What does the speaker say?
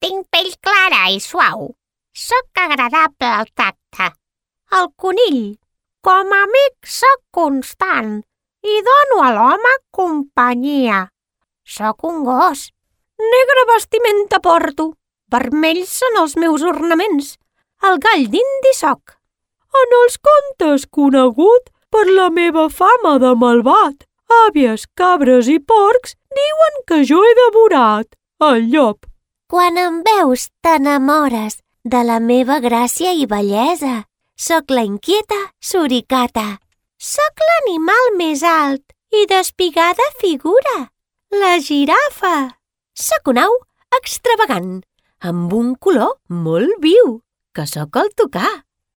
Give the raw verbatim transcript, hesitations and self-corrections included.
Tinc pell clara i suau. Sóc agradable al tacte. El conill. Com a amic sóc constant i dono a l'home companyia. Sóc un gos. Negre vestimenta porto. Vermells són els meus ornaments. El gall d'indi soc. En els contes conegut per la meva fama de malvat. Àvies, cabres i porcs diuen que jo he devorat el llop. Quan em veus t'enamores de la meva gràcia i bellesa. Soc la inquieta suricata. Soc l'animal més alt i d'espigada figura. La girafa. Soc un au extravagant, amb un color molt viu, que sóc el tucà.